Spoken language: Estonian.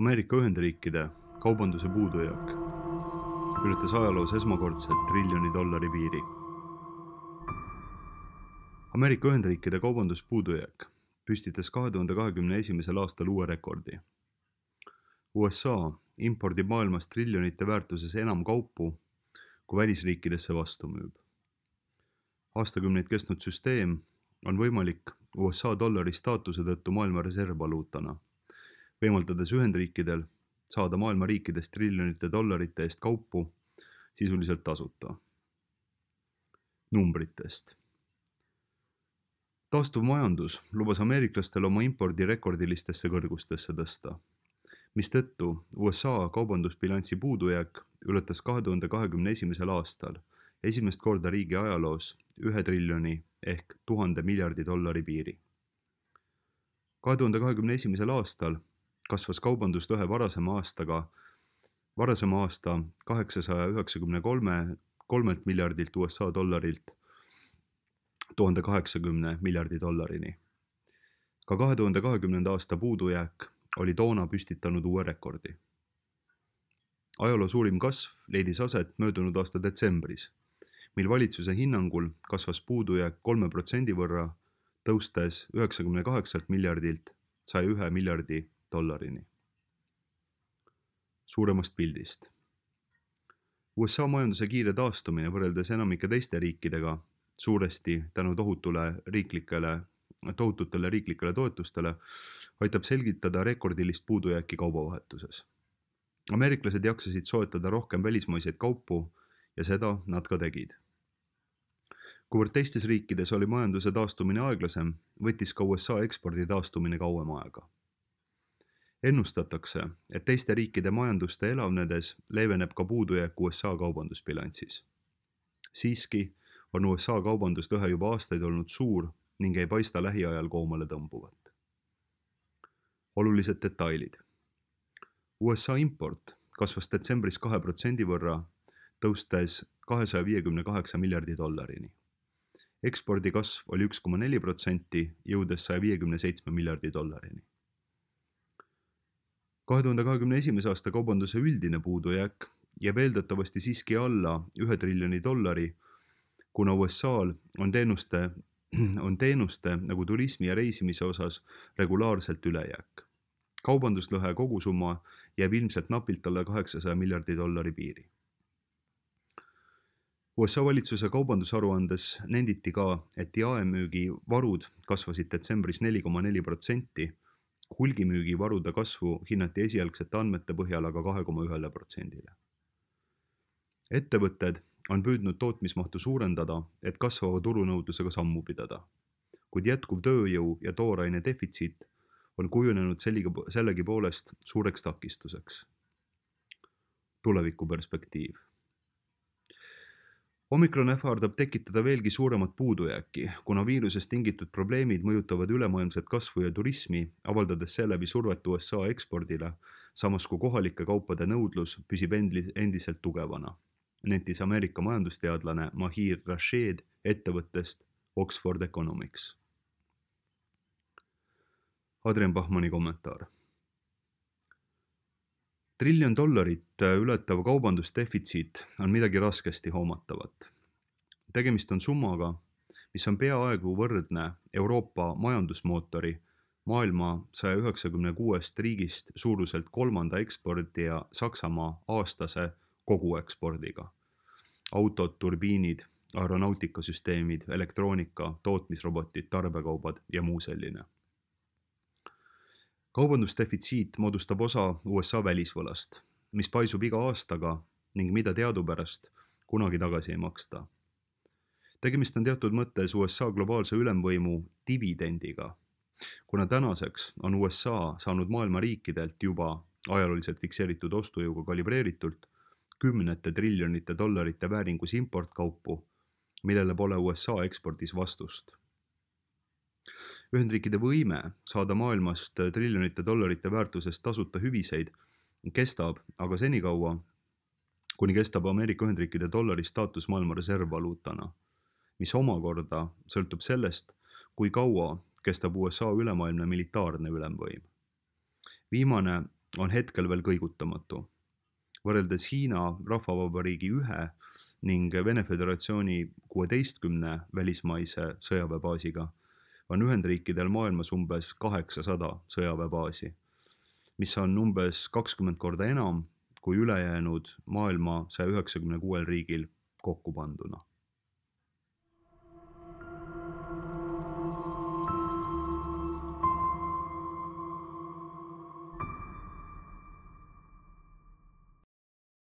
Ameerika Ühendriikide kaubanduse puudujääk ületas ajaloos esmakordselt $1 000 piiri. Ameerika Ühendriikide kaubanduspuudujääk püstitas 2021. aastal uue rekordi. USA impordib maailmas triljonite väärtuses enam kaupu, kui välisriikidesse vastu müüb. Aastakümneid kestnud süsteem on võimalik USA dollari staatuse tõttu maailma reservvaluutana, võimaldades Ühendriikidel saada maailma riikidest triljonite dollarite eest kaupu sisuliselt tasuta. Numbritest. Taastuv majandus lubas ameeriklastel oma impordi rekordilistesse kõrgustesse tõsta, mistõttu USA kaubandusbilansi puudujääk ületas 2021. aastal esimest korda riigi ajaloos 1 triljoni ehk 1000 miljardi dollari piiri. 2021. aastal kasvas kaubanduslõhe varasema aasta 893 miljardilt USA dollarilt 1080 miljardi dollarini. Ka 2020. aasta puudujääk oli toona püstitanud uue rekordi. Ajaloo suurim kasv leidis aset möödunud aasta detsembris, mil valitsuse hinnangul kasvas puudujääk 3% võrra, tõustes 98 miljardilt 101 miljardi dollarini. Suuremast pildist. USA majanduse kiire taastumine võrreldes enamike teiste riikidega, suuresti tänu tohututele riiklikele toetustele, aitab selgitada rekordilist puudujääki kaubavahetuses. Ameeriklased jaksasid soetada rohkem välismaiseid kaupu ja seda nad ka tegid. Kuivõrd teistes riikides oli majanduse taastumine aeglasem, võttis ka USA ekspordi taastumine kauem aega. Ennustatakse, et teiste riikide majanduste elavnedes leeveneb ka puudujääk USA kaubandusbilansis. Siiski on USA kaubanduslõhe juba aastaid olnud suur ning ei paista lähiajal koomale tõmbuvat. Olulised detailid. USA import kasvas detsembris 2% võrra, tõustes 258 miljardi dollarini. Ekspordi kasv oli 1,4%, jõudes 157 miljardi dollarini. 2021. aasta kaubanduse üldine puudujääk jääb eeldatavasti siiski alla 1 triljoni dollari, kuna USA-l on teenuste nagu turismi ja reisimise osas regulaarselt ülejääk. Kaubanduslõhe kogusumma jääb ilmselt napilt alla 800 miljardi dollari piiri. USA valitsuse kaubandusaruandes nenditi ka, et jaemüügi varud kasvasid detsembris 4,4%, hulgimüügi varude kasvu hinnati esialgsete andmete põhjal aga 2,1%. Ettevõtted on püüdnud tootmismahtu suurendada, et kasvava turunõudlusega sammu pidada, kuid jätkuv tööjõu ja tooraine defitsiit on kujunenud sellegipoolest suureks takistuseks. Tulevikuperspektiiv. Omikron ähvardab tekitada veelgi suuremat puudujääki, kuna viirusest tingitud probleemid mõjutavad ülemaailmset kasvu ja turismi, avaldades seeläbi survet USA ekspordile, samas kui kohalike kaupade nõudlus püsib endiselt tugevana, nentis Ameerika majandusteadlane Mahir Rashed ettevõttest Oxford Economics. Adrian Bachmanni kommentaar. $1 triljon ületav kaubandusdefitsiit on midagi raskesti hoomatavat. Tegemist on summaga, mis on peaaegu võrdne Euroopa majandusmootori maailma 196 riigist suuruselt kolmanda ekspordija Saksamaa aastase koguekspordiga. Autod, turbiinid, aeronautikasüsteemid, elektroonika, tootmisrobotid, tarbekaubad ja muu selline. Kaubandusdefitsiit moodustab osa USA välisvõlast, mis paisub iga aastaga ning mida teadupärast kunagi tagasi ei maksta. Tegemist on teatud mõttes USA globaalse ülemvõimu dividendiga, kuna tänaseks on USA saanud maailma riikidelt juba ajalooliselt fikseeritud ostujõuga kalibreeritult kümnete triljonite dollarite vääringus importkaupu, millele pole USA ekspordis vastust. Ühendriikide võime saada maailmast triljonite dollarite väärtusest tasuta hüviseid kestab aga senikaua, kuni kestab Ameerika Ühendriikide dollari staatus maailma reservvaluutana, mis omakorda sõltub sellest, kui kaua kestab USA ülemaailmne militaarne ülemvõim. Viimane on hetkel veel kõigutamatu. Võrreldes Hiina Rahvavabariigi 1 ning Vene Föderatsiooni 16 välismaise sõjaväebaasiga on Ühendriikidel maailmas umbes 800 sõjaväebaasi, mis on umbes 20 korda enam kui ülejäänud maailma 196 riigil kokku panduna.